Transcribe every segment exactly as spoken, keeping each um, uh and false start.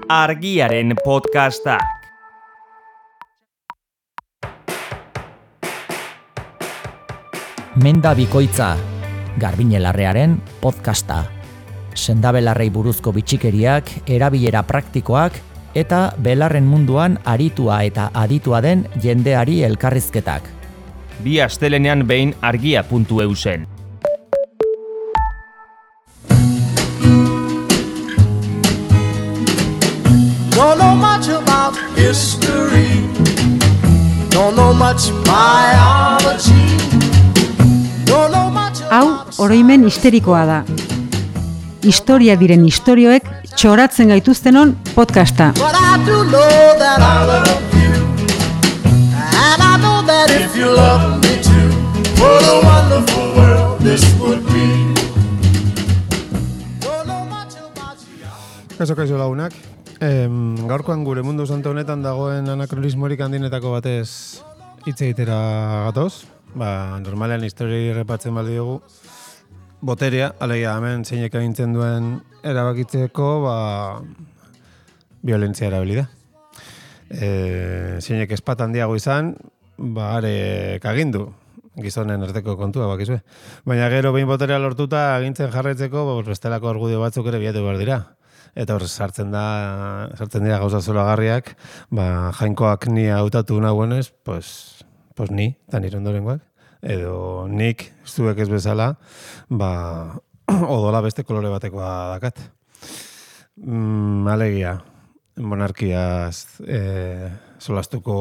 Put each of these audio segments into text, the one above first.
Argiaren podcastak. Menda bikoitza, Garbine Larrearen podcasta. Sendabelarrei buruzko bitxikeriak, erabilera praktikoak eta belarren munduan aritua eta aditua den jendeari elkarrizketak. Bi astelenean behin argia puntu e u zen. Don't know much about history. Don't know much biology. Don't know much Hau, oroimen histerikoa da. Historia diren istorioek txoratzen gaituztenon podcasta. But I do know that I love you. And I know that if you love me too, what a wonderful world this would be. Don't know much about you. Kaso kaixo lagunak. Em, gaurkoan gure mundu santo honetan dagoen anakronismorik handinetako batez hitz egitera gatoz. Ba, normalean historia errepatzen baldi dugu. Boterea, alegia hemen zeinek agintzen duen erabakitzeko, ba, violentzia erabili da. E, zeinek espat handiago izan, ba, arek agindu. Gizonen arteko kontua, bakizue. Baina gero behin boterea lortuta agintzen jarraitzeko, ba, bestelako argudio batzuk ere bilatu behar dira. Eta hor sartzen da, sartzen dira gauza zoragarriak, ba, jainkoak ni hautatu nagoenez, pues, pues ni, eta nire ondorengoak. Edo nik, zuek ez bezala, ba, odola beste kolore batekoa dakat. Mm, alegia, monarkiaz e, solastuko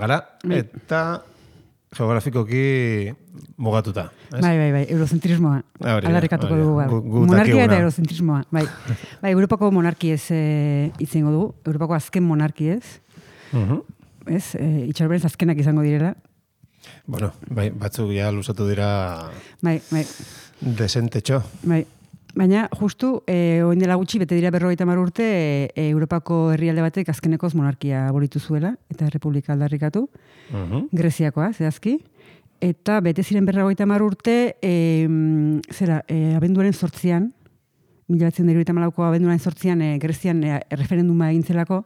gara, eta geografikoki mugatuta. Ez? Bai, bai, bai, eurozentrismoa. Aldarrikatuko dugu. Bai. Gu, gu Monarkia eta eurozentrismoa. Bai, bai, Europako monarkiez e, itzengo dugu. Europako azken monarkiez. Uh-huh. Ez, e, itxarberez azkenak izango direla. Bueno, bai, batzuk ja luzatu dira bai, bai. desentetxo. Bai. Baina, justu, e, oin dela gutxi, bete dira berrogeita hamar urte, e, Europako herrialde batek azkenekoz monarkia abolitu zuela, eta errepublika aldarrikatu, uh-huh. Greziakoa, zehazki, eta bete ziren berrogeita hamar urte, e, zera, e, abenduaren zortzian, mila batzen da hirurogeita hamalauko abenduaren zortzian, e, Grezian e, referenduma egin zelako,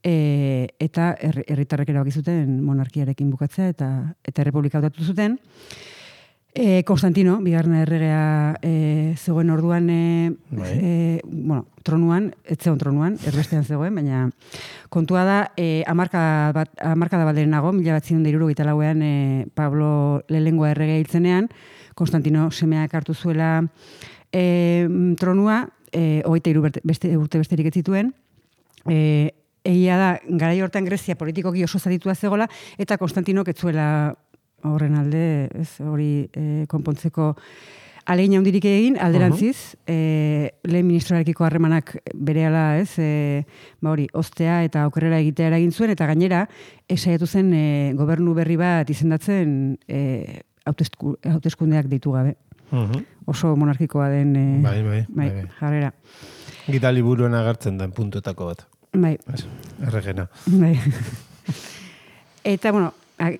e, eta herritarrek erabaki zuten monarkiarekin bukatzea, eta, eta errepublika hautatu zuten. E, Konstantino, bigarren erregea e, zegoen orduan, e, e, bueno, tronuan, ez zegoen tronuan, erbestean zegoen, baina kontua da, e, amarka, bat, amarka da balderen nago, mila bat zion da hirurogeita lauean e, Pablo lehengoa erregea hiltzenean, Konstantino semeak hartu zuela e, tronua, e, hogeita hiru beste, urte besterik ez zituen, e, egia da, garai hortan Grezia politikoki oso zaditua zegoela, eta Konstantinok ez zuela horren alde, ez, hori e, konpontzeko alegin handirik egin, alderantziz, uh-huh. e, lehen ministroarekiko harremanak berehala, ez, e, ba hori, ostea eta okerrera egitea eragin zuen, eta gainera, esaiatu zen e, gobernu berri bat izendatzen e, hauteskundeak deitu gabe. Uh-huh. Oso monarkikoa den e, bai, bai, bai, bai, bai. jarrera. Gita liburuen agertzen den puntuetako bat. Bai. Erregena. Bai. Eta, bueno,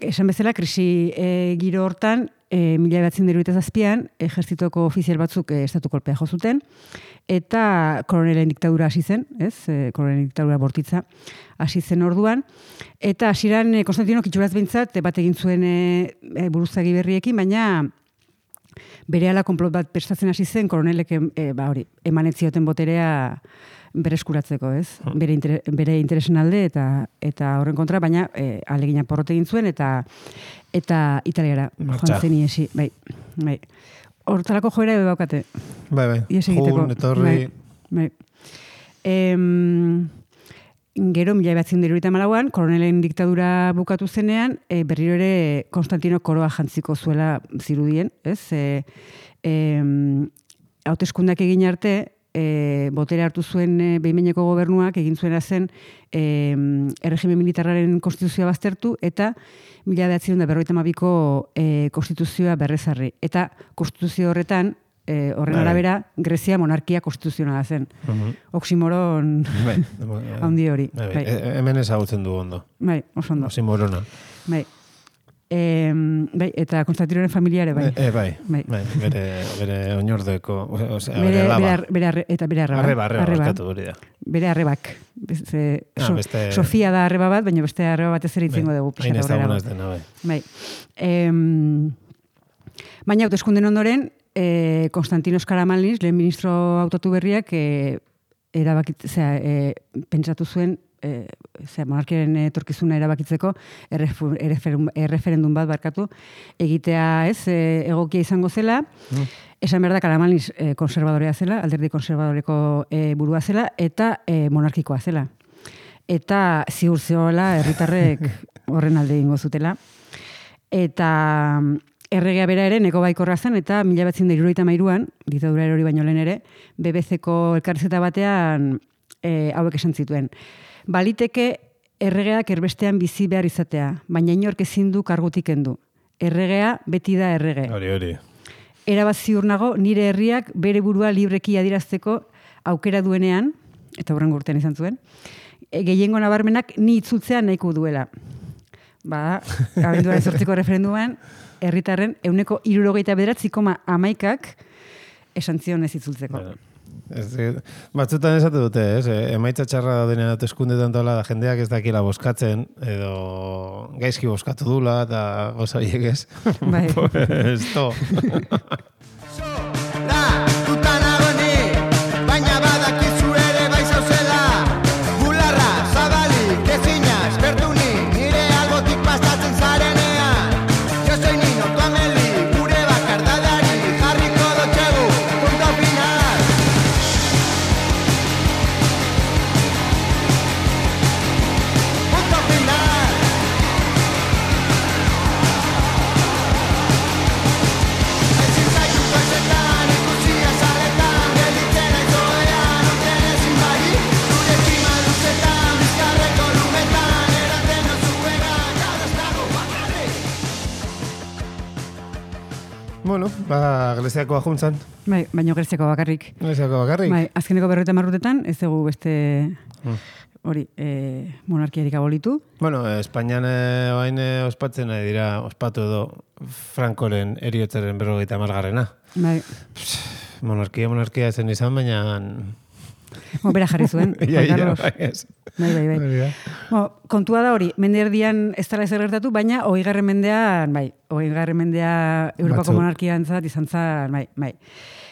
esan bezala, krisi e, giro hortan, e, mila behatzen deruetaz azpian, ejertzitoko ofizial batzuk e, estatu kolpea jo zuten, eta koronelen diktadura hasi zen, ez? E, koronelen diktadura bortitza hasi zen orduan, eta hasieran e, Konstantino kitxuraz behintzat, bat egin zuen e, e, buruzagi berriekin, baina berehala konplot bat prestatzen hasi zen, koronelek e, ba, hori, emanetzioten boterea bereskuratzeko, ez? Bere, inter, bere interesen alde eta eta horren kontra, baina e, alegina porrot egin zuen eta eta italiara joan zen iesi. Bai, bai. Hortarako joera ebe baukate. Bai, bai. Jun, etorri. Bai, bai. Em, gero, mila behatzen diruita malauan, koronelen diktadura bukatu zenean, e, berriro ere Konstantino koroa jantziko zuela zirudien, ez? E, e, hauteskundak egin arte, E, botere hartu zuen e, behin-behineko gobernuak egin zuena zen e, erregime militarraren konstituzioa baztertu eta mila behatzen da berrogeita hamabiko e, konstituzioa berrezarri. Eta konstituzio horretan, e, horren arabera, Grezia monarkia konstituzionala zen. Uh-huh. Oximoron handi hori. Bai, bai. Bai. E, hemen ezagutzen du ondo. Bai, oso ondo. Oximorona. Bai. E, bai, eta Konstantinoren familiare bai. E, bai, bai. bai, bere, bere oinordeko, osea, Bere, bere laba. bere, bere arre, eta bere arreba. Arreba, arreba, barkatu hori da. Bere arrebak. Beste, Ah, so, beste- Sofia da arreba bat, baina beste arreba bat ez ere itzingo Bai, dugu. hain pixka ez aurrerago. dagoen ez dena, bai. Bai. Em, baina hauteskunden ondoren, e, Konstantinos Karamanlis, lehen ministro hautatu berriak, e, erabakit, zera, e, pentsatu zuen, e, zera, monarkiaren etorkizuna erabakitzeko errefu- erreferum- erreferendum bat barkatu, egitea ez, e, egokia izango zela, esan behar da Karamanlis e, konservadorea zela, alderdi konservadoreko e, burua zela, eta e, monarkikoa zela. Eta ziur zeola herritarrek horren alde egingo zutela. Eta mm, erregea bera ere neko baikorra zen, eta mila batzen da hirurogeita hamairuan, ditadura erori baino lehen ere, B B C-ko elkarrizketa batean e, hauek esan zituen. Baliteke erregeak erbestean bizi behar izatea, baina inork ezin du kargutik kendu. Erregea beti da errege. Hori, hori. Erabat ziur nago nire herriak bere burua libreki adierazteko aukera duenean, eta hurrengo urtean izan zuen, e, gehiengo nabarmenak ni itzultzea nahiko duela. Ba, abenduaren zortziko referenduman, herritarren euneko hirurogeita bederatzi koma hamaikak esan zion ez itzultzeko. Bueno, ez, eh, batzutan esatu dute, ez? eh, Emaitza txarra daudenean hauteskundeetan tola da jendeak ez dakila boskatzen, edo gaizki boskatu dula, eta goza horiek ez. Bai. Pues, to. La, tutan agoni, baina badakizu ere bai zauzela. Bularra, zabalik, ezinaz, bertuni, nire albotik pastatzen zarenean. Yo soy Nino, tu Ameli, gure bakardadari, jarriko dotxegu, punto final. Punto final. Ezin zaitu koizetan, ikusia saletan, gelditzen aizoean, urten ezin bari, zure kima luzetan, bizkarreko lumetan, eraten ozuera, gaur ez dago bakarrik. Bueno, ba, Greziako ajuntzan. Bai, baino Greziako bakarrik. Greziako bakarrik. Bai, azkeneko berroita marrutetan, ez dugu beste Mm. hori, e, monarkiarik abolitu. Bueno, Espainian eh, orain eh, ospatzen ari dira, ospatu edo Frankoren eriotzaren berrogeita margarrena. Bai, Monarkia, monarkia zen izan, baina... Mo, bera jarri zuen, Ia, Juan ia, Carlos. bai, ez. Bai, bai, bai. Hori da. Bo, kontua da hori, mende erdian ez dela ezer gertatu, baina hogeigarren mendean, bai, hogeigarren mendea Europako Batzuk. monarkiantzat izan zen, bai, bai.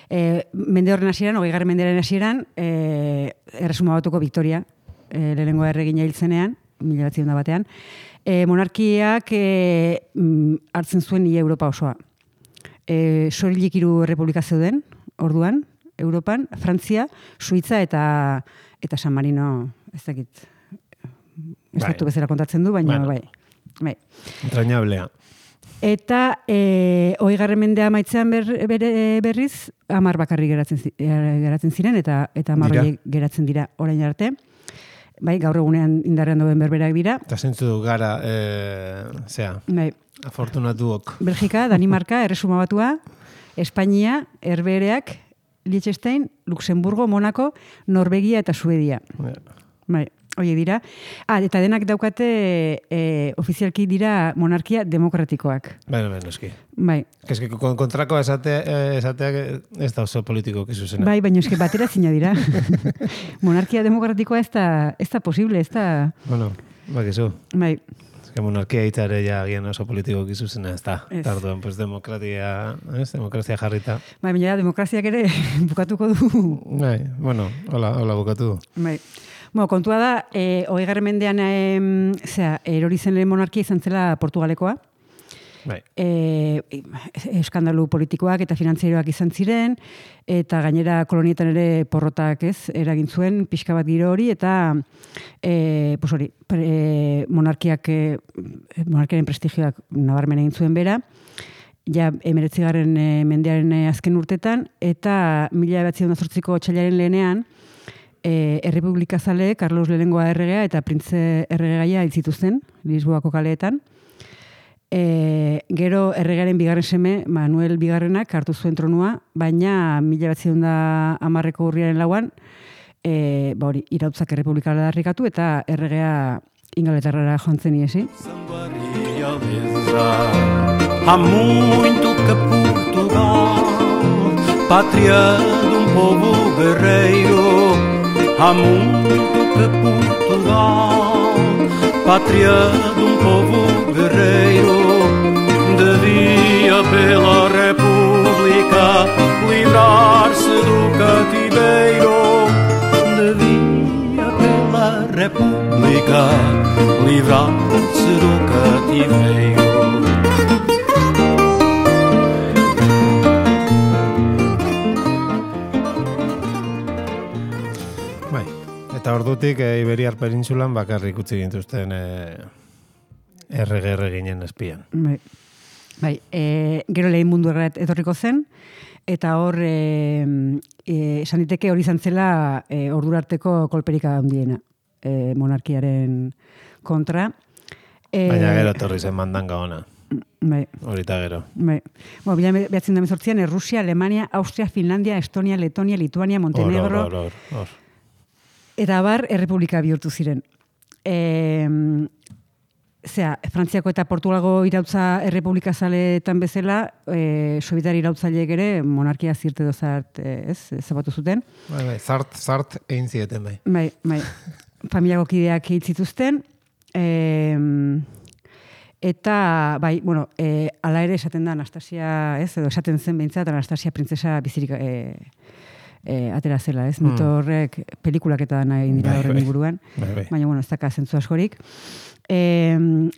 E, mende horren hasieran, hogeigarren mendearen hasieran, e, erresuma batuko Victoria, e, lehenengo erregina hil zenean, mila batziehun da batean, e, monarkiak e, mm, hartzen zuen ia Europa osoa. E, Sorilik hiru errepublika zeuden, orduan, Europan, Frantzia, Suitza eta eta San Marino, ez dakit, estatu Bai. bezala kontatzen du, baina Bueno. bai. Bai. Entrañablea. Eta e, hogeigarren mendea amaitzean ber, bere, berriz, hamar bakarrik geratzen, zi- eh, geratzen ziren, eta eta hamar Dira. horiek geratzen dira orain arte. Bai, gaur egunean indarrean dauden berberak dira. Eta zentzu gara, e, zea, Bai, afortunatuok. Belgika, Danimarka, Erresuma Batua, Espainia, Herbehereak, Liechtenstein, Luxemburgo, Monaco, Norvegia eta Suedia. Bai, horiek dira. Ah, eta denak daukate e, ofizialki dira monarkia demokratikoak. Baina, baina, eski. Bai, Eski, kon- kontrako esatea, eh, esateak ez da oso politiko kizuzena. bai, baina eske batera zina dira. Monarkia demokratikoa ez da, ez da posible, ez da... Bueno, bakizu. Bai, Eske monarkia hitzare ja agian oso politiko kizuzena ez da. Ez. Eta orduan, pues demokratia, ez, demokrazia jarrita. bai, baina demokraziak ere bukatuko du. Bai, bueno, hola, hola bukatu du. Bai. Bueno, kontua da, e, hogeigarren mendean em, zera, erori zen lehen monarkia izan zela Portugalekoa. Bai. E, eskandalu politikoak eta finantzieroak izan ziren, eta gainera kolonietan ere porrotak ez, eragin zuen, pixka bat giro hori, eta e, pues hori, pre, monarkiak, e, monarkiaren prestigioak nabarmen egin zuen bera, ja emeretzigarren e, mendearen e, azken urtetan, eta mila batzion zortziko otxailaren lehenean, e, errepublika zale, Carlos lehenengoa erregea eta printze erregaia hil zituzten, Lisboako kaleetan. E, gero erregaren bigarren seme, Manuel bigarrenak hartu zuen tronua, baina mila batziehun da hamarreko urriaren lauan, e, ba hori, irautzak errepublikala darrikatu eta erregea ingalaterrara joan zen iesi. Somebody of cabeça. Há muito que Portugal, pátria de um povo guerreiro. Há muito que Portugal, pátria de um povo guerreiro, devia pela República livrar-se do cativeiro. Devia pela República livrar-se do cativeiro. Bai, eta ordutik e, Iberiar Penintsulan bakarrik utzi gintuzten e, errege erreginen espian. Bai, bai e, gero lehen mundu errat etorriko zen, eta hor e, e, esan diteke hori izan zela e, ordurarteko kolperika handiena e, monarkiaren kontra. E, Baina gero etorri zen mandanga ona. Bai. Horita gero. Bai. Bueno, bila behatzen da mezortzian, Errusia, Alemania, Austria, Finlandia, Estonia, Letonia, Lituania, Montenegro. Hor, hor, hor, hor. Eta bar, errepublika bihurtu ziren. E, zera, Frantziako eta Portugalgo irautza errepublika zaletan bezala, e, sobietar irautzaileek ere monarkia zirte dozart, ez, zabatu zuten. Bai, bai, zart, zart egin zieten bai. Bai, bai. Familiako kideak hitzituzten. E, eta, bai, bueno, e, ala ere esaten da Anastasia, ez, edo esaten zen behintzat, Anastasia printzesa bizirik e, e, atera zela, ez, mito horrek pelikulak eta nahi dira horren inguruan, Bai, bai. baina, bueno, ez daka zentzu askorik. E,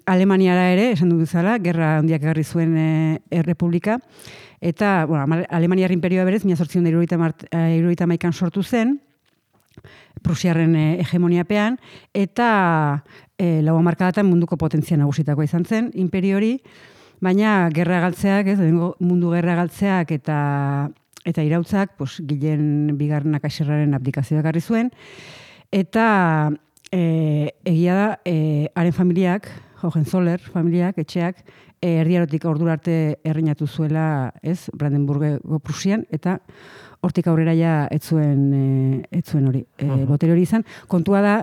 Alemaniara ere, esan dut bezala, gerra handiak egarri zuen e, errepublika, eta, bueno, Alemaniar imperioa berez, mila zortziehun eta hirurogeita hamaikan sortu zen, Prusiarren hegemoniapean, eta e, lau hamarkadatan munduko potentzia nagusitakoa izan zen, imperio hori, baina gerra galtzeak, ez, mundu gerra galtzeak eta eta irautzak, pues, Gilen bigarren akaxerraren abdikazioa ekarri zuen, eta e, egia da, e, haren familiak, Hohenzoller familiak, etxeak, e, erdiarotik ordura arte erreinatu zuela, ez, Brandenburgo Prusian, eta hortik aurrera ja ez zuen, e, ez zuen hori, e, uh-huh. botere hori izan. Kontua da,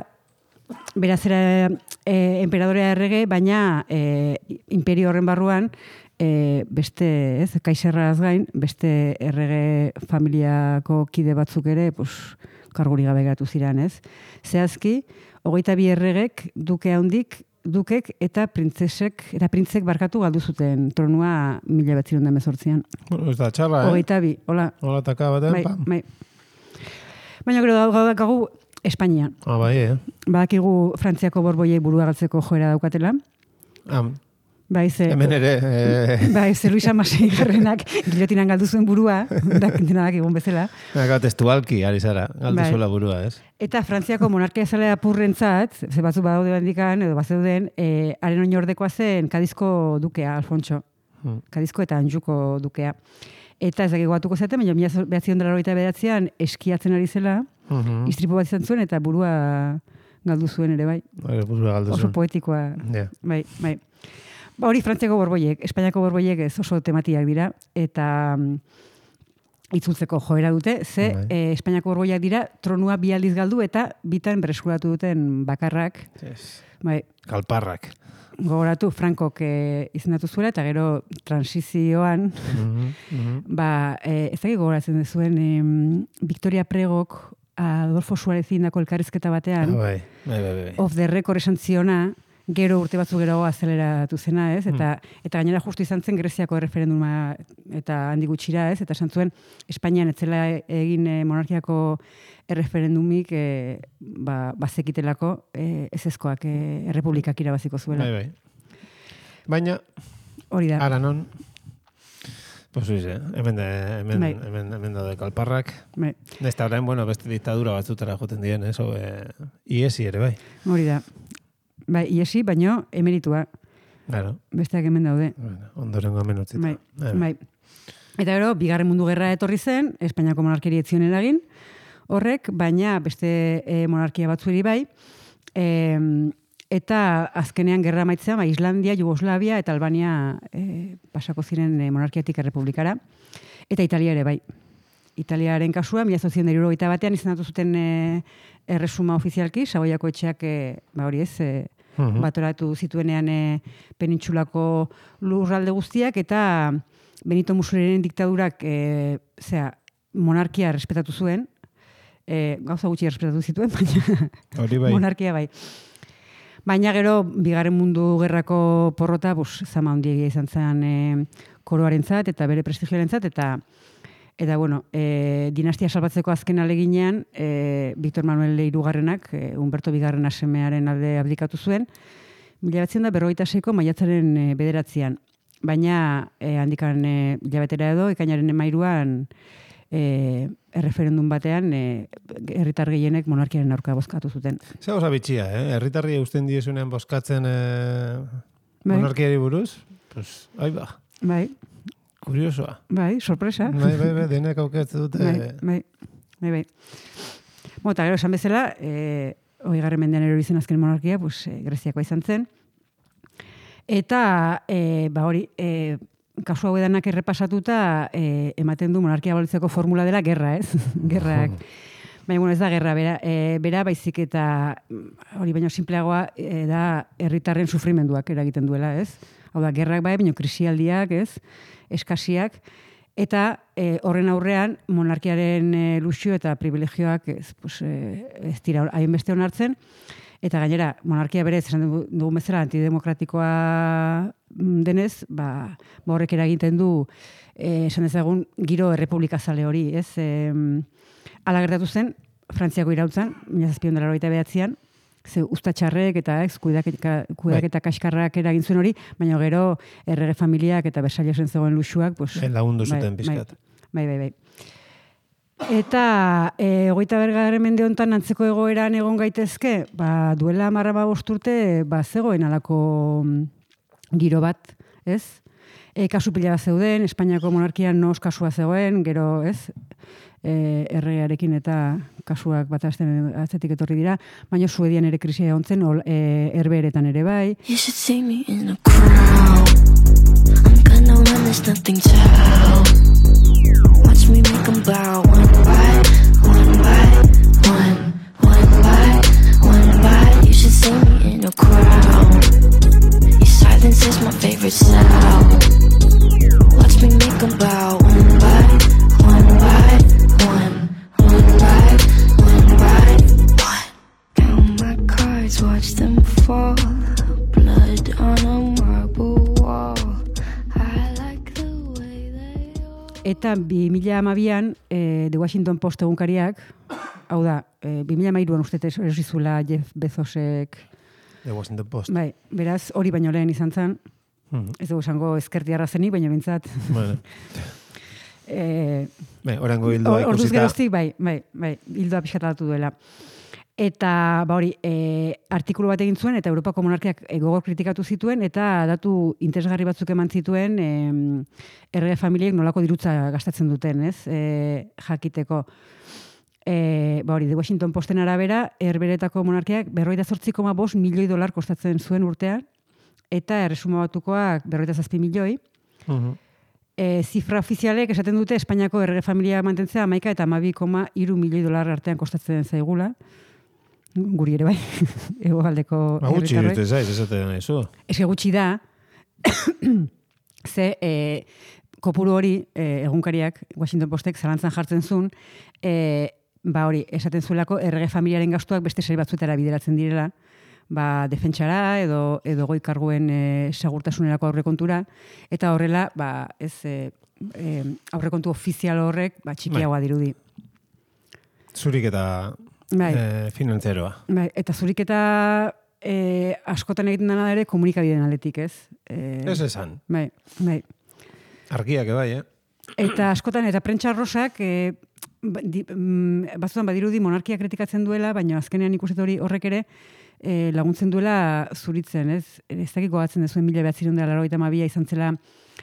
beraz era e, emperadorea errege, baina e, imperio horren barruan, e, beste, ez, kaixerraz gain, beste errege familiako kide batzuk ere, pues, karguri gabe geratu ziren, ez? Zehazki, hogeita bi erregek, duke handik, dukek eta printzesek, eta printzek barkatu galdu zuten tronua mila betzirun da mezortzian. Bueno, ez da txarra, eh? Hogeita bi, hola. Hola taka baten, Bai, pam. bai. Baina gero daukagu Espainian. Ah, bai, eh? Badakigu Frantziako borboiei burua galtzeko joera daukatela. Ah, Bai, ze... hemen ere... Eh... Bai, ze Luis Amasei garrenak gilotinan galdu zuen burua, denak egun bezala. Gau, testualki, ari zara, galdu Bai. zuela burua, ez? Eta Frantziako monarkia zalea purrentzat, ze batzu badaude bandikan, edo bazeuden, e, haren oinordekoa zen Kadizko dukea, Alfontxo. Hmm. Kadizko eta Anjuko dukea. Eta ez dakiko batuko zaten, baina mila behatzion dela horita behatzean eskiatzen ari zela, Uh-huh. istripu bat izan zuen, eta burua galdu zuen ere, bai. Bai, burua galdu Oso zuen. poetikoa, Ja. bai, bai. Ba, hori Frantziako borboiek, Espainiako borboiek ez oso tematiak dira, eta mm, itzultzeko joera dute, ze Bai. e, Espainiako borboiak dira tronua bi aldiz galdu eta bitan bereskuratu duten bakarrak, Yes. bai, Kalparrak. gogoratu Frankok e, izendatu zuela, eta gero transizioan, Mhm, mhm. ba, e, ez dakit gogoratzen duzuen, em, Victoria Pregok Adolfo Suarez indako elkarrizketa Ah, batean, bai, bai, bai, bai. off the record esan ziona, gero urte batzu gero azeleratu zena, ez? Eta, eta gainera justu izan zen Greziako erreferenduma eta handi gutxira, ez? Eta esan zuen, Espainian etzela egin e, monarkiako erreferendumik e, ba, bazekitelako e, ezezkoak e, errepublikak irabaziko zuela. Bai, bai. Baina, Hori da. ara non, pues oiz, eh? hemen, de, hemen, Bai. hemen, hemen daude kalparrak. Bai, Nesta orain, bueno, beste diktadura batzutara joten dien, ez? Eh? Iesi ere, bai. hori da. Bai, iesi, baino emeritua. Claro. Besteak hemen daude. Bueno, ondorengo hemen utzita. Bai, Bai. bai. Eta gero, bigarren mundu gerra etorri zen, Espainiako monarkeri ez zion eragin, horrek, baina beste e, monarkia batzueri bai, e, eta azkenean gerra maitzean, ba, Islandia, Jugoslavia eta Albania e, pasako ziren e, monarkiatik errepublikara, eta Italia ere bai. Italiaren kasua, mila zortziehun eta hirurogeita batean izendatu zuten e, erresuma ofizialki, Saboiako etxeak, e, ba hori ez, e, batoratu zituenean e, penintsulako lurralde guztiak, eta Benito Mussoliniren diktadurak e, zera, monarkia respetatu zuen, e, gauza gutxi respetatu zituen, baina Hori bai. monarkia bai. Baina gero, bigarren mundu gerrako porrota, bus, zama handiegia izan zen e, koroarentzat eta bere prestigioarentzat, eta eta bueno, e, dinastia salbatzeko azken aleginean, e, Victor Manuel hirugarrenak, e, Humberto bigarren semearen alde abdikatu zuen, mila bederatziehun eta berrogeita seiko maiatzaren e, bederatzian. Baina e, handikan e, hilabetera edo, ekainaren emairuan e, erreferendum batean e, herritar gehienek monarkiaren aurka bozkatu zuten. Zer gauza bitxia, eh? Herritarri eusten diezunean bozkatzen eh, Bai. monarkiari buruz? Pues, ai ba, Bai, kuriosoa. bai, sorpresa. Bai, bai, bai, denek aukertze dute. Bai, bai, bai, bai. Bo, eta gero esan bezala, e, hogeigarren mendean erori zen azken monarkia, pues, e, Greziakoa izan zen. Eta, e, ba hori, e, kasu hau edanak errepasatuta, e, ematen du monarkia abolitzeko formula dela gerra, ez? Gerrak. Baina, bueno, ez da gerra, bera, e, bera baizik eta hori baino simpleagoa e, da herritarren sufrimenduak eragiten duela, ez? Hau da, gerrak bai, baino krisialdiak, ez? Eskasiak, eta e, horren aurrean monarkiaren e, luxio eta privilegioak ez, pues, e, ez dira hainbeste onartzen, eta gainera monarkia berez esan dugun bezala antidemokratikoa denez, ba, ba horrek eragiten du e, esan dezagun giro errepublikazale hori, ez? E, ala gertatu zen Frantziako iraultzan, mila zazpiehun eta laurogeita bederatzian, ze ustatxarrek eta ex kudeaketa kudeaketa kaskarrak eragin zuen hori, baina gero errege familiak eta Versaillesen zegoen luxuak, pues lagundu bai, zuten pizkat. Bai, bai, bai. Eta e, hogeita bergarren mende honetan antzeko egoeran egon gaitezke, ba, duela hamar hamabost urte ba, zegoen alako giro bat, ez? E, kasu pila bat zeuden, Espainiako monarkian nos kasua zegoen, gero, ez? E, erregearekin eta kasuak bat atzetik etorri dira, baina Suedian ere krisia egon zen, e, Herbeheretan ere bai. You should see me in a crowd. I'm gonna run, there's nothing to help. Watch me make them bow one by one by one, one by one by. You should see me in a crowd. Your silence is my favorite sound. Watch me make them bow one by one by one, one by one by one. Count my cards, watch them fall. Blood on a marble wall. I like the way they all. Eta bi mila hamabian e, The Washington Post egunkariak, hau da, e, bi mila hamairuan uste erosi zuela Jeff Bezosek, The Washington Post. bai, beraz hori baino lehen izan zen, Mhm. ez dugu esango ezkertiarra zenik, baina bintzat. Bueno. e, Bai, orango hildoa Or- Orduz ikusita. geroztik, bai, bai, bai, hildoa pixkatatu duela. Eta, ba hori, e, artikulu bat egin zuen, eta Europako monarkiak e, gogor kritikatu zituen, eta datu interesgarri batzuk eman zituen e, errege familiek nolako dirutza gastatzen duten, ez? E, jakiteko. E, ba hori, The Washington Posten arabera, Herbeheretako monarkiak berrogeita zortzi koma bost milioi dolar kostatzen zuen urtean, eta erresuma batukoak berrogeita zazpi milioi. Mhm. E, zifra ofizialek esaten dute Espainiako errege familia mantentzea hamaika eta hamabi koma hiru milioi dolar artean kostatzen zaigula. Guri ere bai, hegoaldeko Ba, gutxi herritarroi. irute zaiz, esaten nahi zu. Eske gutxi da, ze e, kopuru hori e, egunkariak, Washington Postek zalantzan jartzen zuen, e, ba hori, esaten zuelako errege familiaren gastuak beste sail batzuetara bideratzen direla, ba, defentsara edo, edo goi karguen e, segurtasunerako aurrekontura, eta horrela, ba, ez e, e, aurrekontu ofizial horrek ba, txikiagoa dirudi. Zurik eta Bai. eh, finantzeroa. Bai, eta zurik eta e, askotan egiten dena ere komunikabideen aldetik, ez? E, Ez esan. Bai, bai. Argiak bai, eh? Eta askotan, eta prentsa rosak, e, ba- di- mm, batzutan badirudi monarkia kritikatzen duela, baina azkenean ikusten hori horrek ere e, laguntzen duela zuritzen, ez? Ez dakit gogatzen dezuen mila behatzirun dela laurogeita hamabia izan zela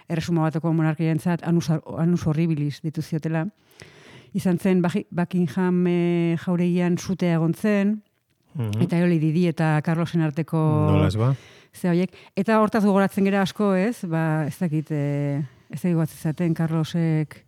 erresuma bateko monarkiarentzat anus, anus horribilis ditu ziotela. Izan zen Baki- Buckingham e, jauregian sutea egon zen, Mhm. eta Eoli Didi eta Carlosen arteko Nola ez ba? ze horiek. Eta hortaz gogoratzen gera asko, ez? Ba, ez dakit, e, ez dakit gogoratzen zaten Carlosek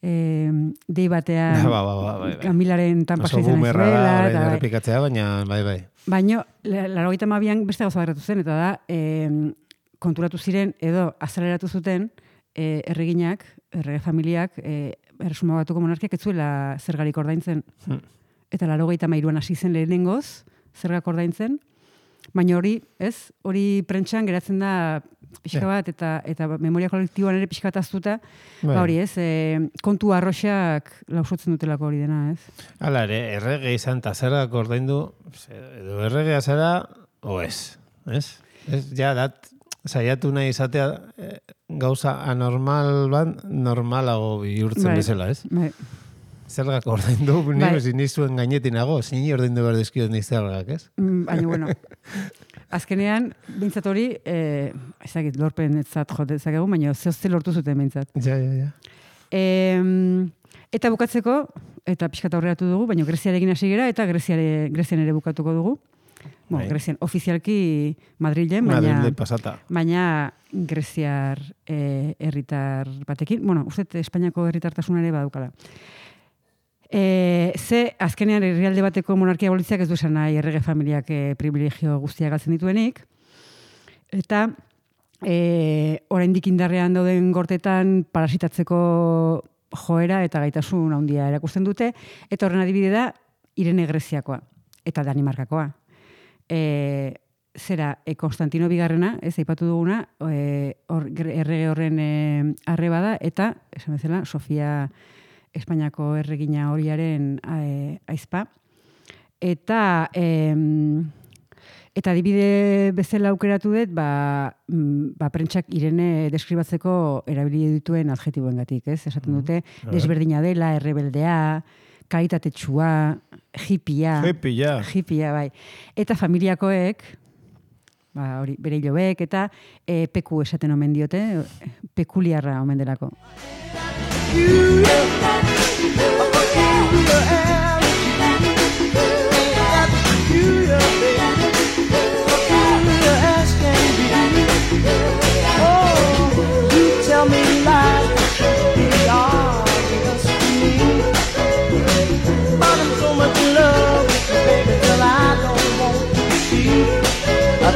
e, dei batean Ba, ba, ba, bai, bai. Kamilaren tanpa Oso izan bumerra da, zuela, orain eta bai. errepikatzea, baina bai, bai. Baina, laurogeita hamabian beste gauza gertatu zen, eta da, e, konturatu ziren, edo azaleratu zuten, e, erreginak, errege familiak, e, Erresuma Batuko monarkiak ez zuela zergarik ordaintzen. Hmm. Eta laurogeita hamairuan hasi zen lehenengoz, zergak ordaintzen, baina hori, ez, hori prentxan geratzen da pixka bat, eta, eta memoria kolektiboan ere pixka bat aztuta, Bai. ba hori ez, e, kontu arroxak lausotzen dutelako hori dena, ez? Hala ere, errege izan eta zergak ordaindu, edo erregea zara, o ez, ez? Ez, ja, dat, saiatu nahi izatea eh, gauza anormal bat, normalago bihurtzen Bai, bezala, ez? Bai. Zergak ordaindu, ni Bai. bezin nizuen gainetinago, zini ordaindu behar dizkiot ni zergak, ez? Mm, Baina, bueno, azkenean, bintzat hori, eh, ezagit, lorpen etzat jote ezakegu, baina zehozte lortu zuten bintzat. Ja, ja, ja. E, eta bukatzeko, eta pixkat aurreratu dugu, baina Greziarekin hasi gera, eta Greziare, Grezian ere bukatuko dugu. Bueno, Bai. Grezian, ofizialki Madrilen, baina, Madrilde pasata. baina Greziar eh, herritar batekin, bueno, uste Espainiako herritartasuna ere badukala. E, ze, azkenean herrialde bateko monarkia abolitzeak ez du esan nahi errege familiak e, privilegio guztiak galtzen dituenik. Eta e, oraindik indarrean dauden gortetan parasitatzeko joera eta gaitasun handia erakusten dute, eta horren adibide da Irene Greziakoa eta Danimarkakoa. E, zera, e, Konstantino Bigarrena, ez aipatu duguna, e, or, errege horren e, arreba da, eta, esan bezala, Sofia Espainiako erregina horiaren e, aizpa. Eta em, eta adibide bezala aukeratu dut, ba, mm, ba prentsak Irene deskribatzeko erabili dituen adjetiboengatik, ez? Esaten dute desberdina dela, errebeldea, karitatetsua, hippia. Hippia. Hippia, bai. Eta familiakoek, ba, hori, bere hilobek, eta e, peku esaten omen diote, pekuliarra omen delako.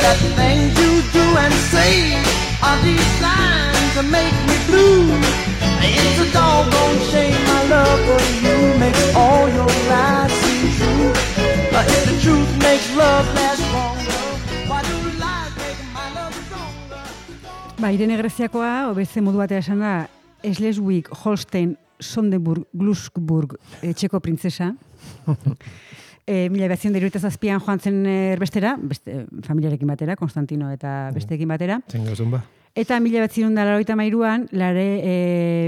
That things you do and say are designed to make me blue. It's a doggone shame my love for you makes all your lies seem true. But if the truth makes love last longer, why do lies make my love stronger? Ba, Irene Greziakoa, obeze modu batea esan da, Schleswig, Holstein, Sonderburg, Glücksburg, e, txeko printzesa. E, mila behatzen dira zazpian joan zen erbestera, beste, familiarekin batera, Konstantino eta besteekin batera. Zen gauzun ba. Eta mila behatzen da laroita mairuan, lare e,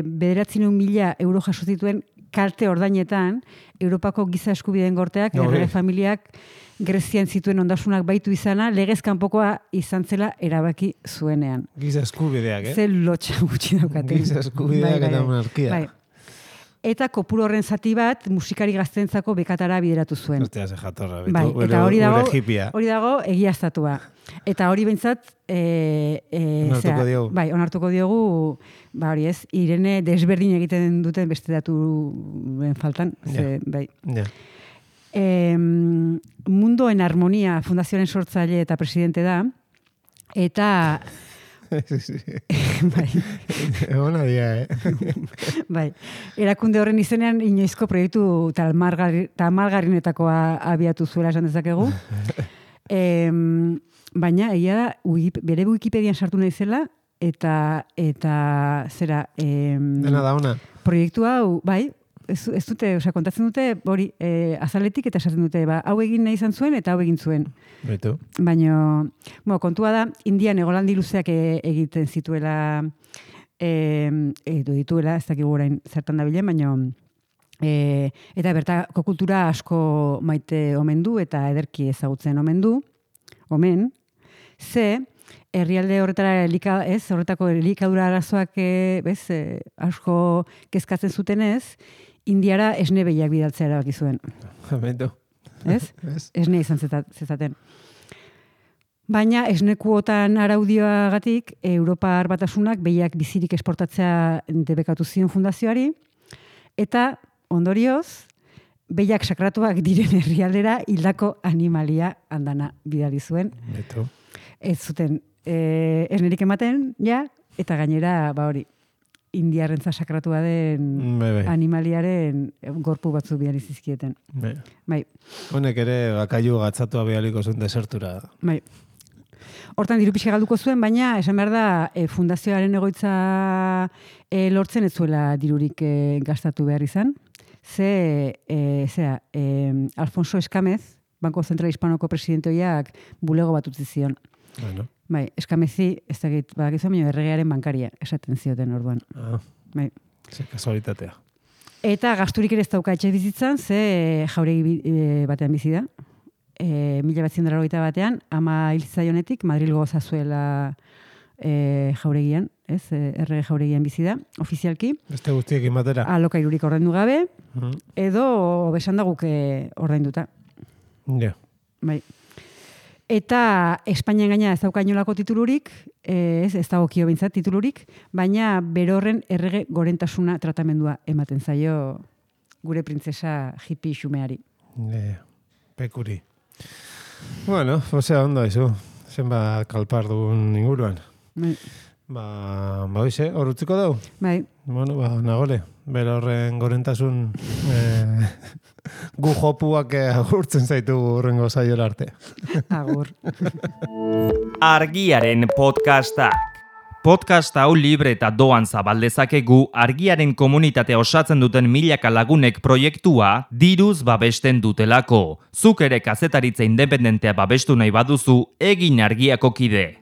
bederatzen mila euro jaso zituen kalte ordainetan, Europako giza eskubideen gorteak, No, errege hori. familiak Grezian zituen ondasunak baitu izana, legez kanpokoa izan zela erabaki zuenean. Giza eskubideak, eh? Ze lotxa gutxi daukaten. Giza eskubideak eta monarkia. Bai. Eta kopuru horren zati bat musikari gaztentzako bekatara bideratu zuen. Ostia, ze jatorra. Bai, betu, eta hori dago, gure hippia. hori dago egiaztatua. Eta hori behintzat, e, e, Onartuko zera, diogu. bai, onartuko diogu, ba hori ez, Irene desberdin egiten duten beste datuen faltan, ze, bai. Ja. E, Mundo en Armonia Fundazioaren sortzaile eta presidente da, eta bai, Ona dia, eh? bai, erakunde horren izenean inoizko proiektu talmargarri, tamalgarrinetakoa abiatu zuela esan dezakegu. E, baina, egia da, Wikip, bere Wikipedian sartu nahi zela, eta, eta zera, e, Dena da ona. proiektu hau, bai, ez, ez dute, osea, kontatzen dute, hori, e, azaletik eta esaten dute, ba, hau egin nahi izan zuen eta hau egin zuen. Betu. Baina, bueno, kontua da, Indian egolandi luzeak e, egiten zituela, e, edo dituela, ez dakigu orain zertan dabilen, baina, e, eta bertako kultura asko maite omen du eta ederki ezagutzen omen du, omen, ze, herrialde horretara elika, ez, horretako elikadura arazoak e, bez, e, asko kezkatzen zutenez, Indiara esne behiak bidaltzea erabaki zuen. Betu. Ez? Ez? Esne izan zeta- zezaten. Baina esnekuotan araudioagatik Europar Batasunak behiak bizirik esportatzea debekatu zion fundazioari, Eta, ondorioz, behiak sakratuak diren herrialdera hildako animalia handana bidali zuen. Beto. Ez zuten e, ernerik ematen, ja, eta gainera, ba hori, indiarrentza sakratua den Be, be. animaliaren gorpu batzu bihar izizkieten. Be. Bai, Honek ere bakailu gatzatua bialiko zuen desertura. bai. Hortan diru pixka galduko zuen, baina esan behar da e, fundazioaren egoitza e, lortzen ez zuela dirurik e, gastatu behar izan. Ze, e, zera, e, Alfonso Eskamez, Banko Zentral Hispanoko presidentoiak bulego bat utzi zion. Bueno. Bai, Eskamezi, ez dakit, badakizu, baina erregearen bankaria esaten zioten orduan. Ah, Bai. ze kasualitatea. Eta gasturik ere ez dauka etxe bizitzan, ze jauregi bi- e, batean bizi da. E, mila batzen dara batean, ama hiltzaionetik, Madrilgo zazuela e, jauregian, ez, e, errege jauregian bizi da, ofizialki, Beste guztiekin batera. alokairurik ordaindu gabe, Mhm. edo besan da guk e, ordainduta. Ja. Bai. Eta Espainian gaina ez dauka inolako titulurik, eh, ez, ez dago kio bintzat titulurik, baina berorren errege gorentasuna tratamendua ematen zaio gure printzesa hippie xumeari. Ja. Pekuri. Bueno, osea, ondo izu. Zenbat kalpar dugun inguruan. Bai. Ba, ba hoize, hor utziko dau. Bai. Bueno, ba, nagore. Bera horren gorentasun eh, gu jopuak eh, agurtzen zaitu horrengo saiola arte. Agur. Argiaren podcastak. Podcast hau libre eta doan zabaldezakegu argiaren komunitatea osatzen duten milaka lagunek proiektua diruz babesten dutelako. Zuk ere kazetaritza independentea babestu nahi baduzu, egin argiako kide.